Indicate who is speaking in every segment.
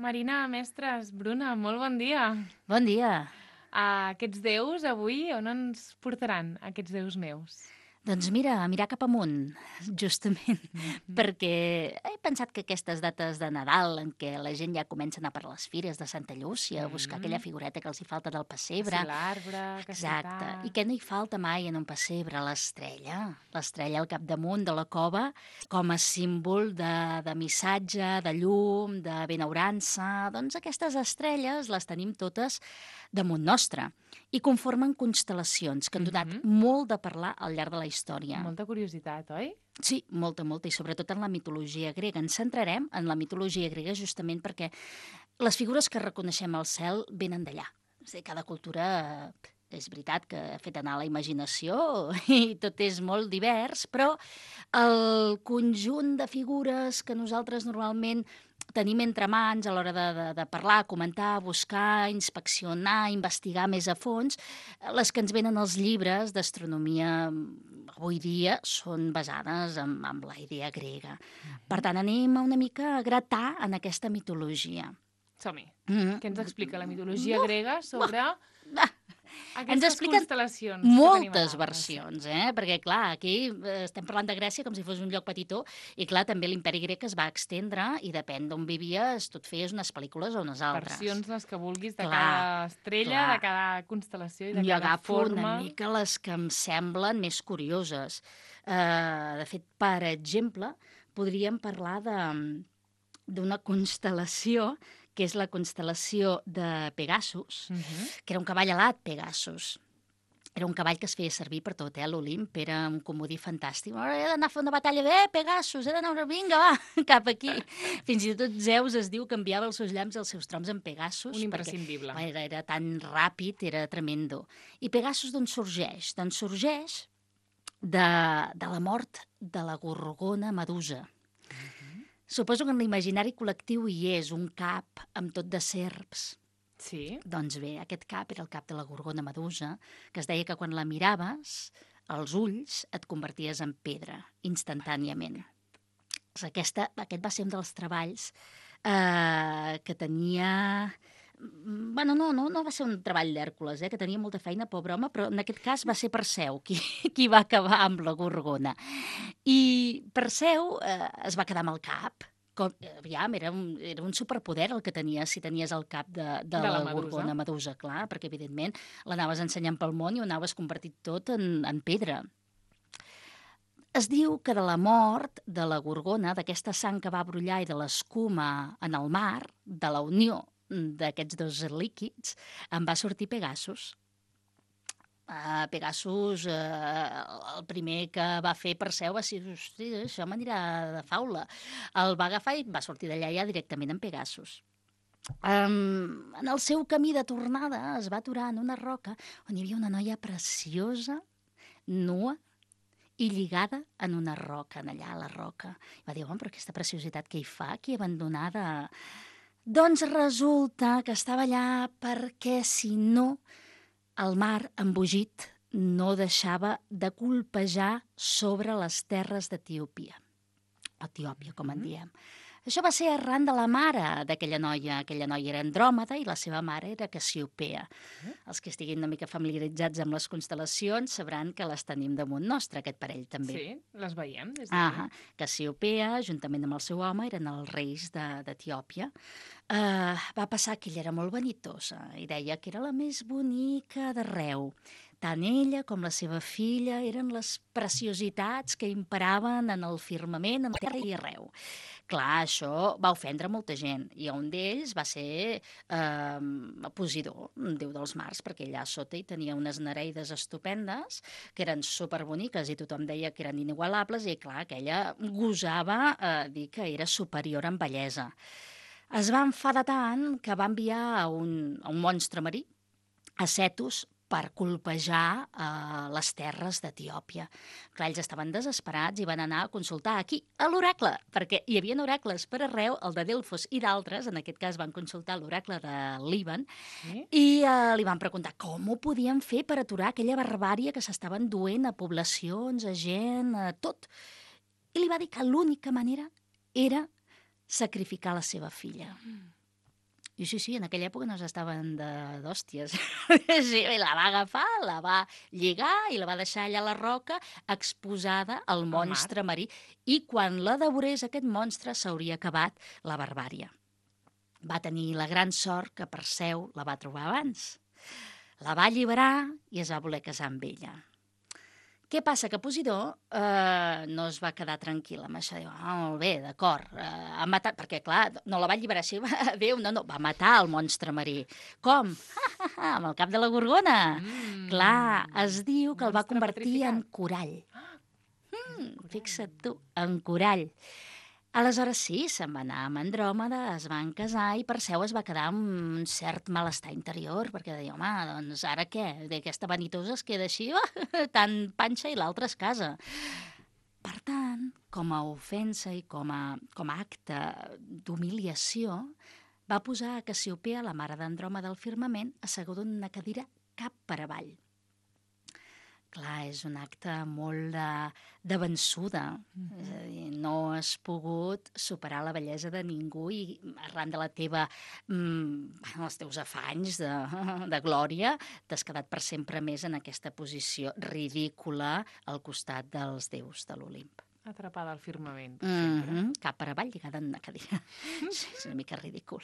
Speaker 1: Marina, mestres, Bruna, molt bon dia.
Speaker 2: Bon dia.
Speaker 1: Aquests déus avui on ens portaran, aquests déus meus?
Speaker 2: Doncs mira, a mirar cap amunt, justament,
Speaker 1: Mhm.
Speaker 2: perquè he pensat que aquestes dates de Nadal, en què la gent ja comença a anar per les fires de Santa Llúcia, a buscar aquella figureta que els hi falta del
Speaker 1: Que
Speaker 2: pessebre.
Speaker 1: si l'arbre, que si
Speaker 2: Exacte. I
Speaker 1: tal...
Speaker 2: què no hi falta mai en un pessebre? L'estrella. L'estrella al capdamunt de la cova, com a símbol de missatge, de llum, de benaurança. Doncs aquestes estrelles les tenim totes damunt nostre i conformen constel·lacions que han donat molt de parlar al llarg de la història.
Speaker 1: Molta curiositat, oi?
Speaker 2: Sí, molta, molta, i sobretot en la mitologia grega. Ens centrarem en la mitologia grega justament perquè les figures que reconeixem al cel venen d'allà. És a dir, cada cultura és veritat que ha fet anar la imaginació i tot és molt divers, però el conjunt de figures que nosaltres normalment tenim entre mans a l'hora de parlar, comentar, buscar, inspeccionar, investigar més a fons, les que ens venen als llibres d'astronomia avui dia són basades en la idea grega. Per tant, anem una mica a gratar en aquesta mitologia.
Speaker 1: Som-hi.
Speaker 2: Mm.
Speaker 1: Què ens explica la mitologia grega sobre
Speaker 2: Ens
Speaker 1: aquestes
Speaker 2: expliquen
Speaker 1: constel·lacions que tenim
Speaker 2: moltes
Speaker 1: allà?
Speaker 2: versions, perquè clar, aquí estem parlant de Grècia com si fos un lloc petitó, i clar, també l'imperi grec es va extendre i depèn d'on vivies, tu et feies unes pel·lícules o unes altres.
Speaker 1: Versions, les que vulguis, de
Speaker 2: Clar,
Speaker 1: cada estrella,
Speaker 2: clar.
Speaker 1: de cada constel·lació i de
Speaker 2: Jo
Speaker 1: cada
Speaker 2: agafo
Speaker 1: forma.
Speaker 2: una mica les que em semblen més curioses. De fet, per exemple, podríem parlar d'una constel·lació que és la constel·lació de Pegasus, que era un cavall alat, Pegasus. Era un cavall que es feia servir per tot, l'Olimp, era un comodí fantàstic. He d'anar a fer una batalla, Pegasus, he d'anar, vinga, va, cap aquí. Fins i tot Zeus es diu que enviava els seus llamps als seus troms en Pegasus.
Speaker 1: Un imprescindible.
Speaker 2: Perquè era tan ràpid, era tremendo. I Pegasus d'on sorgeix? Doncs sorgeix de la mort de la gorgona Medusa. Suposo que en l'imaginari col·lectiu hi és un cap amb tot de serps.
Speaker 1: Sí.
Speaker 2: Doncs bé, aquest cap era el cap de la gorgona Medusa, que es deia que quan la miraves, els ulls et converties en pedra, instantàniament. Aquest va ser un dels treballs que tenia... Bueno, no va ser un treball d'Hèrcules, que tenia molta feina, pobre home, però en aquest cas va ser Perseu qui va acabar amb la gorgona. I Perseu es va quedar amb el cap. Aviam, era un superpoder el que tenies si tenies el cap de la gorgona Medusa, clar, perquè evidentment l'anaves ensenyant pel món i ho anaves convertit tot en pedra. Es diu que de la mort de la gorgona, d'aquesta sang que va brollar i de l'escuma en el mar, de la unió d'aquests dos líquids, en va sortir Pegasus. Pegasus, el primer que va fer Perseu va ser, hosti, això m'anirà de faula. El va agafar i va sortir d'allà ja directament en Pegasus. En el seu camí de tornada es va aturar en una roca on hi havia una noia preciosa, nua, i lligada en una roca, allà a la roca. I va dir, però aquesta preciositat que hi fa, aquí abandonada... Doncs resulta que estava allà perquè, si no, el mar embogit no deixava de colpejar sobre les terres d'Etiòpia. Etiòpia, com en diem. Això va ser arran de la mare d'aquella noia. Aquella noia era Andròmeda i la seva mare era Cassiopea. Els que estiguin una mica familiaritzats amb les constel·lacions sabran que les tenim damunt nostre, aquest parell també.
Speaker 1: Sí, les veiem des d'aquí.
Speaker 2: Cassiopea, juntament amb el seu home, eren els reis d'Etiòpia. Va passar que ella era molt vanitosa i deia que era la més bonica d'arreu. Tant ella com la seva filla eren les preciositats que imperaven en el firmament, en la terra i arreu. Clar, això va ofendre molta gent, i un d'ells va ser Posidó, un déu dels mars, perquè allà sota hi tenia unes nereides estupendes, que eren superboniques, i tothom deia que eren inigualables, i clar, aquella gosava dir que era superior en bellesa. Es va enfadar tant que va enviar a un monstre marí, a Cetus, per colpejar les terres d'Etiòpia. Clar, ells estaven desesperats i van anar a consultar aquí, a l'oracle, perquè hi havia oracles per arreu, el de Delfos i d'altres, en aquest cas van consultar l'oracle de Líban, i li van preguntar com ho podien fer per aturar aquella barbària que s'estaven duent a poblacions, a gent, a tot. I li va dir que l'única manera era sacrificar la seva filla. I sí, en aquella època no s'estaven d'hòsties. Sí, i la va agafar, la va lligar i la va deixar allà a la roca exposada al
Speaker 1: Al mar.
Speaker 2: monstre marí. I quan la devorés aquest monstre s'hauria acabat la barbària. Va tenir la gran sort que Perseu la va trobar abans. La va alliberar i es va voler casar amb ella. Què passa? Que Posidó no es va quedar tranquil amb això. Diu, molt bé, d'acord, ha matat... Perquè, clar, no la va alliberar així, Déu, no, va matar el monstre marí. Com? Amb el cap de la gorgona. Clar, es diu que el va
Speaker 1: Monstre
Speaker 2: convertir en
Speaker 1: petrificat.
Speaker 2: corall.
Speaker 1: Corall.
Speaker 2: Fixa't tu, en corall. Aleshores sí, se'n va anar amb Andròmeda, es van casar i Perseu es va quedar amb un cert malestar interior, perquè deia, home, doncs ara què? Aquesta vanitosa es queda així, tan panxa i l'altra es casa. Per tant, com a ofensa i com a acte d'humiliació, va posar a Cassiopea, la mare d'Andròmeda al firmament, asseguda en una cadira cap per avall. Clar, és un acte molt de vençuda. És a dir, no has pogut superar la bellesa de ningú i arran de la teva, els teus afanys de glòria, t'has quedat per sempre més en aquesta posició ridícula al costat dels déus de l'Olimp.
Speaker 1: Atrapada al firmament, per sempre.
Speaker 2: Cap per avall, lligada en una cadira. Sí, és una mica ridícul.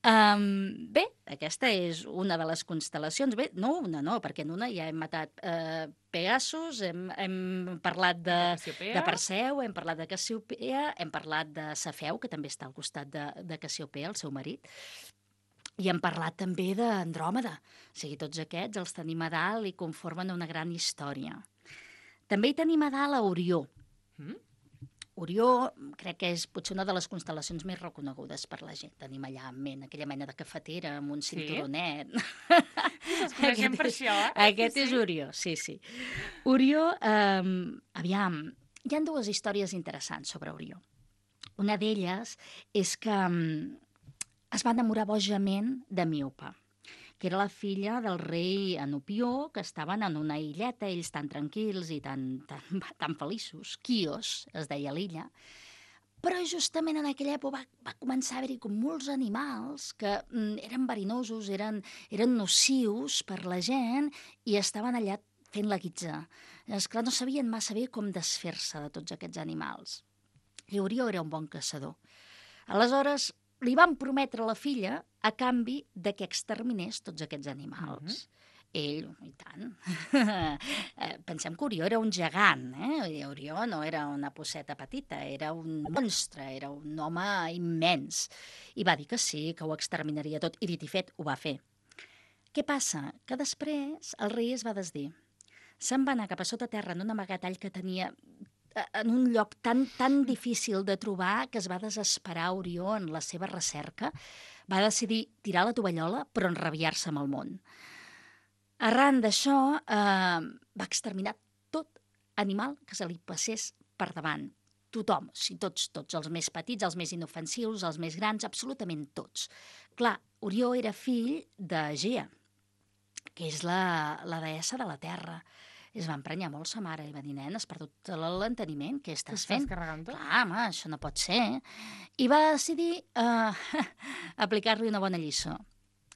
Speaker 2: Bé, aquesta és una de les constel·lacions. Bé, no, perquè en una ja hem matat Pegasus, hem parlat de Perseu, hem parlat de Cassiopea, hem parlat de Cefeu, que també està al costat de Cassiopea, el seu marit, i hem parlat també d'Andròmeda. O sigui, tots aquests els tenim a dalt i conformen una gran història. També hi tenim a dalt a Orió. Orió crec que és potser una de les constel·lacions més reconegudes per la gent. Tenim allà en ment aquella mena de cafetera amb un cinturonet.
Speaker 1: Els coneixem per això, eh?
Speaker 2: Aquest és Orió, sí. Orió, aviam, hi ha dues històries interessants sobre Orió. Una d'elles és que es va enamorar bojament de Míope, que era la filla del rei Enopió, que estaven en una illeta, ells tan tranquils i tan feliços. Quios, es deia l'illa. Però justament en aquella època va començar a haver-hi com molts animals que eren verinosos, eren nocius per la gent i estaven allà fent la guitza. Esclar, no sabien massa bé com desfer-se de tots aquests animals. I Orió era un bon caçador. Aleshores, li van prometre a la filla a canvi de que exterminés tots aquests animals. Ell, i tant. Pensem que Orió era un gegant, Orió no era una posseta petita, era un monstre, era un home immens. I va dir que sí, que ho exterminaria tot, i dit i fet, ho va fer. Què passa? Que després el rei es va desdir. Se'n va anar cap a sota terra en un amagatall que tenia en un lloc tan difícil de trobar que es va desesperar Orió en la seva recerca. Va decidir tirar la tovallola, però enrabiar-se amb el món. Arran d'això, va exterminar tot animal que se li passés per davant. Tothom, tots, els més petits, els més inofensius, els més grans, absolutament tots. Clar, Orió era fill d'Egea, que és la deessa de la terra. Es va emprenyar molt sa mare i va dir, nen, has perdut l'enteniment, què estàs fent?
Speaker 1: Carregant tot?
Speaker 2: Clar, home, això no pot ser. I va decidir aplicar-li una bona lliçó.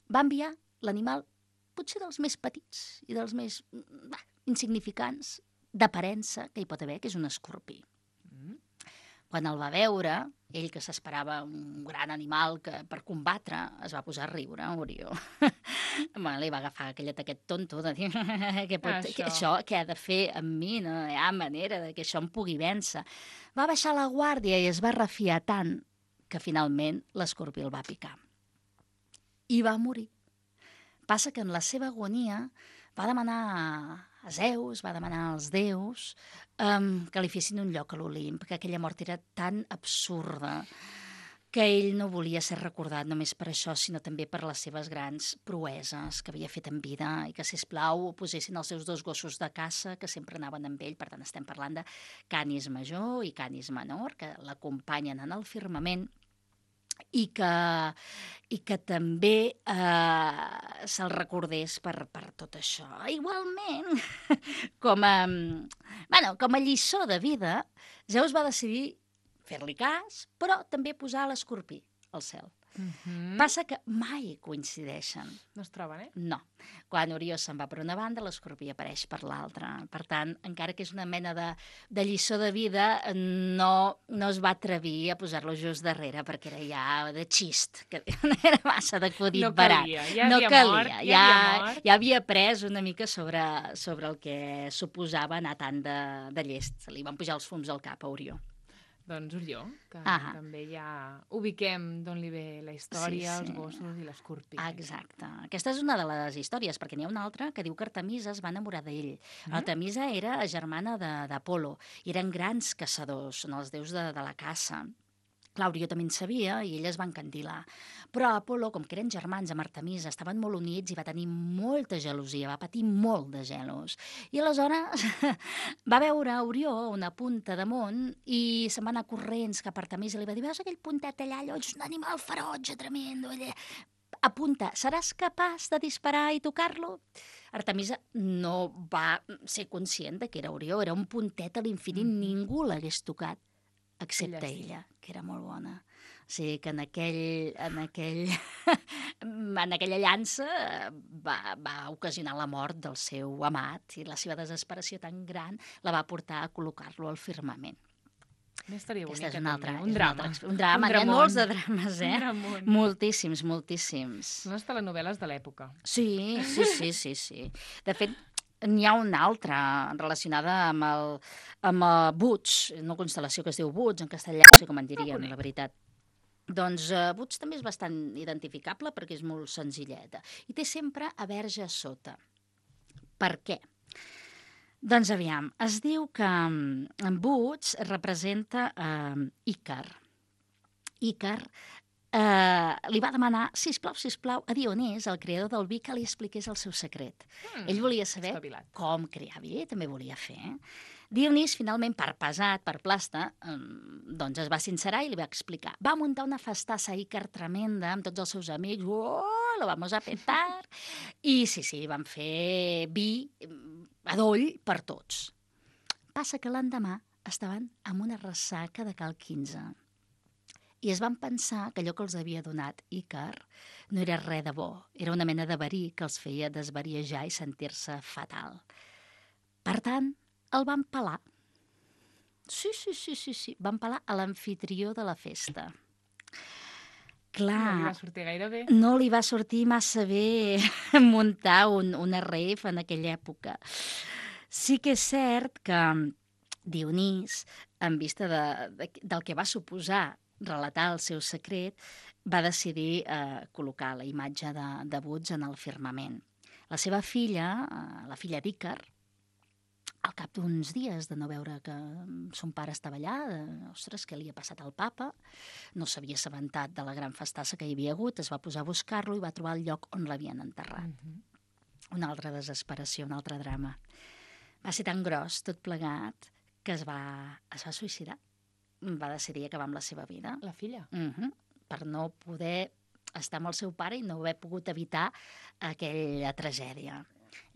Speaker 2: Va enviar l'animal potser dels més petits i dels més insignificants d'aparença que hi pot haver, que és un escorpí. Quan el va veure, ell que s'esperava un gran animal que per combatre, es va posar a riure, Orió. Li va agafar aquell ataquet tonto de dir què ha de fer amb mi, no hi ha manera que això em pugui vèncer. Va baixar la guàrdia i es va refiar tant que finalment l'escorpí el va picar. I va morir. Passa que en la seva agonia va demanar a Zeus, va demanar als déus que li fessin un lloc a l'Olimp, que aquella mort era tan absurda que ell no volia ser recordat només per això, sinó també per les seves grans proeses que havia fet en vida i que, sisplau, posessin els seus 2 gossos de caça que sempre anaven amb ell. Per tant, estem parlant de Canis Major i Canis Menor, que l'acompanyen en el firmament i que també se'l recordés per tot això. Igualment, com a lliçó de vida, Zeus va decidir fer-li cas, però també posar l'escorpí al cel. Passa que mai coincideixen.
Speaker 1: No es troben,
Speaker 2: No. Quan Orió se'n va per una banda, l'Escorpí apareix per l'altra. Per tant, encara que és una mena de lliçó de vida, no es va atrevir a posar-lo just darrere, perquè era ja de xist, que era massa d'acudit
Speaker 1: No
Speaker 2: barat.
Speaker 1: calia, ja havia mort, ja havia mort.
Speaker 2: Ja havia après una mica sobre el que suposava anar tant de llest. Se li van pujar els fums al cap a Orió.
Speaker 1: Doncs Orió, que
Speaker 2: Ahà.
Speaker 1: també ja ubiquem d'on li ve la història,
Speaker 2: Sí, sí.
Speaker 1: els gossos i l'Escorpí.
Speaker 2: Exacte. Aquesta és una de les històries, perquè n'hi ha una altra que diu que Artemisa es va enamorar d'ell. Artemisa era germana d'Apolo i eren grans caçadors, són els déus de la caça. Clar, Orió també en sabia i ell es va encandilar. Però Apolo, com que eren germans amb Artemisa, estaven molt units i va tenir molta gelosia, va patir molt de gelos. I aleshores va veure Orió a una punta damunt i se'n va anar corrents cap a Artemisa i li va dir: veus aquell puntet allà, allò és un animal ferotge, tremendo, allà. Apunta, seràs capaç de disparar i tocar-lo? Artemisa no va ser conscient de que era Orió, era un puntet a l'infinit, ningú l'hagués tocat, excepte ella, que era molt bona. O sigui que en aquella llança va ocasionar la mort del seu amat i la seva desesperació tan gran la va portar a col·locar-lo al firmament.
Speaker 1: Estaria bonica,
Speaker 2: Aquesta és una altra,
Speaker 1: també. Un drama.
Speaker 2: Un drama, n'hi ha molts de drames,
Speaker 1: Un dramón.
Speaker 2: Moltíssims, moltíssims.
Speaker 1: Són les telenovel·les de l'època.
Speaker 2: Sí. De fet, n'hi ha una altra relacionada amb Butch, una constel·lació que es diu Butch, en castellà, no sé com en diríem, la veritat. Doncs Butch també és bastant identificable perquè és molt senzilleta. I té sempre a Verge a sota. Per què? Doncs aviam, es diu que en Butch representa Ícar. Ícar li va demanar, sisplau, a Dionís, el creador del vi, que li expliqués el seu secret. Ell volia saber
Speaker 1: espavilat.
Speaker 2: com crear vi, també volia fer. Dionís, finalment, per pesat, per plasta, doncs es va sincerar i li va explicar. Va muntar una festassa a Ícar tremenda amb tots els seus amics. Lo vamos a petar. I sí, van fer vi adoll per tots. Passa que l'endemà estaven amb una ressaca de cal 15. I es van pensar que allò que els havia donat Ícar no era res de bo, era una mena de verí que els feia desvariejar i sentir-se fatal. Per tant, el van pelar. Sí, van pelar a l'amfitrió de la festa. Clar,
Speaker 1: No li va sortir gaire bé.
Speaker 2: no li va sortir massa bé muntar una rave en aquella època. Sí que és cert que Dionís, en vista del que va suposar relatar el seu secret, va decidir col·locar la imatge de Butch en el firmament. La seva filla, la filla d'Ícar, al cap d'uns dies de no veure que son pare estava allà, ostres, què li ha passat al papa, no s'havia assabentat de la gran festassa que hi havia hagut, es va posar a buscar-lo i va trobar el lloc on l'havien enterrat. Una altra desesperació, un altre drama. Va ser tan gros, tot plegat, que es va suïcidar. Va decidir acabar amb la seva vida.
Speaker 1: La filla.
Speaker 2: Per no poder estar amb el seu pare i no haver pogut evitar aquella tragèdia.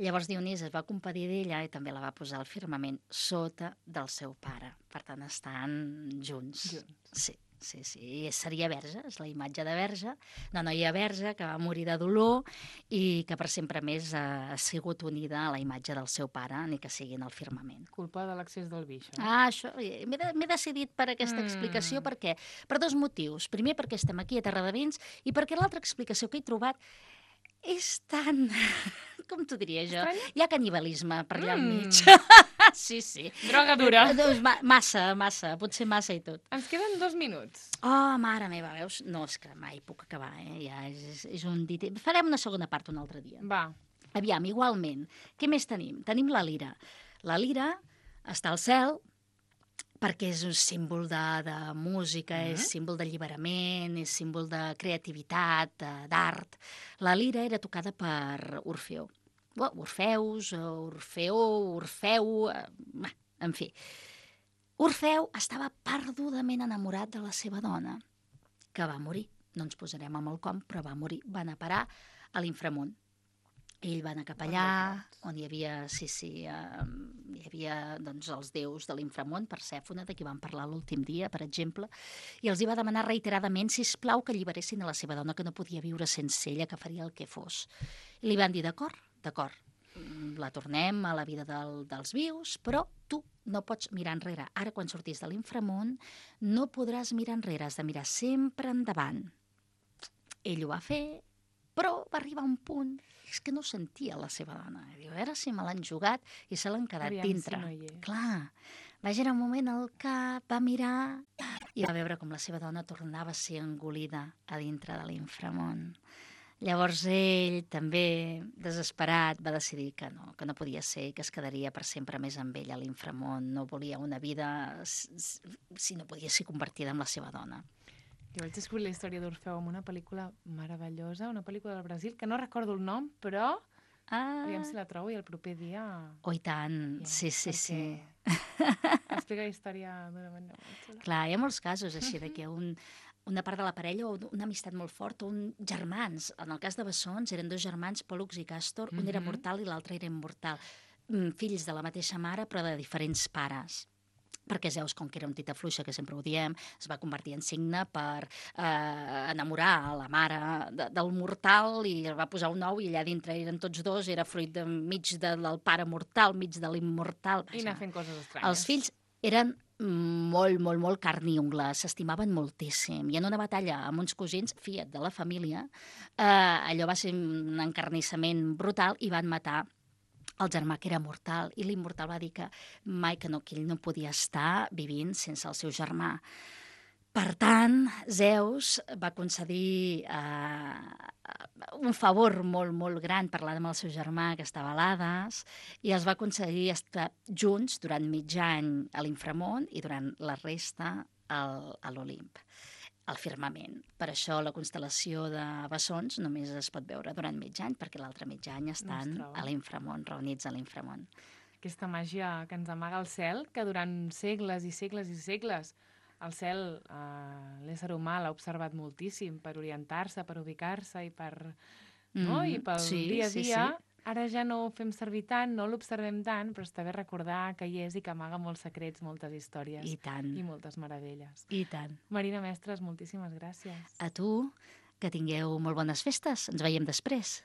Speaker 2: Llavors Dionís es va compadir d'ella i també la va posar al firmament sota del seu pare. Per tant, estan junts. Sí. I seria Verge, és la imatge de Verge, una noia verge que va morir de dolor i que per sempre més ha sigut unida a la imatge del seu pare, ni que sigui en el firmament.
Speaker 1: Culpa de l'accés del vi, això.
Speaker 2: Això, m'he decidit per aquesta explicació. Per què? Per dos motius. Primer, perquè estem aquí a Terradevents i perquè l'altra explicació que he trobat és tan... Com t'ho diria jo?
Speaker 1: Estranya?
Speaker 2: Hi ha canibalisme per allà al mig. Sí.
Speaker 1: Droga dura.
Speaker 2: Massa, potser massa i tot.
Speaker 1: Ens queden 2 minuts.
Speaker 2: Oh, mare meva, veus? No, és que mai puc acabar, ja és un dit... Farem una segona part un altre dia.
Speaker 1: Va.
Speaker 2: Aviam, igualment. Què més tenim? Tenim la lira. La lira està al cel perquè és un símbol de música, és símbol d'alliberament, és símbol de creativitat, d'art. La lira era tocada per Orfeu. Orfeus, Orfeó, Orfeu... En fi. Orfeu estava perdudament enamorat de la seva dona, que va morir. No ens posarem amb el com, però va morir. Va anar a parar a l'inframont. Ell va anar cap
Speaker 1: On
Speaker 2: allà,
Speaker 1: dels
Speaker 2: on hi havia, hi havia doncs, els déus de l'inframón, Persèfone, de qui vam parlar l'últim dia, per exemple, i els hi va demanar reiteradament, sisplau, que alliberessin a la seva dona, que no podia viure sense ella, que faria el que fos. I li van dir, d'acord, d'acord, la tornem a la vida dels vius, però tu no pots mirar enrere. Ara, quan sortis de l'inframón, no podràs mirar enrere, has de mirar sempre endavant. Ell ho va fer, però va arribar un punt, és que no sentia la seva dona. Diu, a veure si me l'han jugat i se l'han quedat
Speaker 1: Aviam
Speaker 2: dintre.
Speaker 1: si no hi és.
Speaker 2: Clar, va girar un moment al cap, va mirar i va veure com la seva dona tornava a ser engolida a dintre de l'inframón. Llavors ell, també desesperat, va decidir que no podia ser i que es quedaria per sempre més amb ella a l'inframón. No volia una vida si no podia ser convertida en la seva dona.
Speaker 1: Jo vaig descobrir la història d'Orfeu amb una pel·lícula meravellosa, una pel·lícula del Brasil, que no recordo el nom, però aviam si la trobo i el proper dia...
Speaker 2: Oh, i tant, sí.
Speaker 1: Explica la història d'una manera molt xula.
Speaker 2: Clar, hi ha molts casos així de que una part de la parella o una amistat molt forta, germans. En el cas de Bessons eren 2 germans, Pòl·lux i Càstor, un era mortal i l'altre era immortal. Fills de la mateixa mare però de diferents pares. Perquè Zeus, com que era un tita fluixa, que sempre ho diem, es va convertir en signe per enamorar la mare del mortal i el va posar un ou i allà dintre eren tots 2, era fruit mig del pare mortal, mig de l'immortal.
Speaker 1: I anar fent coses estranyes.
Speaker 2: Els fills eren molt carn i ungla, s'estimaven moltíssim. I en una batalla amb uns cosins, fiat de la família, allò va ser un encarnissament brutal i van matar el germà que era mortal, i l'immortal va dir que mai que ell no podia estar vivint sense el seu germà. Per tant, Zeus va concedir un favor molt gran parlant amb el seu germà, que estava a l'Hades, i els va concedir estar junts durant mig any a l'inframón i durant la resta a l'Olimp, al firmament. Per això la constel·lació de Bessons només es pot veure durant mig any, perquè l'altre mig any estan a l'inframón, reunits a l'inframón.
Speaker 1: Aquesta màgia que ens amaga el cel, que durant segles i segles i segles el cel, l'ésser humà l'ha observat moltíssim per orientar-se, per ubicar-se i pel dia a dia. Ara ja no ho fem servir tant, no l'observem tant, però està bé recordar que hi és i que amaga molts secrets, moltes històries.
Speaker 2: I tant.
Speaker 1: I moltes meravelles.
Speaker 2: I tant.
Speaker 1: Marina Mestres, moltíssimes gràcies.
Speaker 2: A tu, que tingueu molt bones festes. Ens veiem després.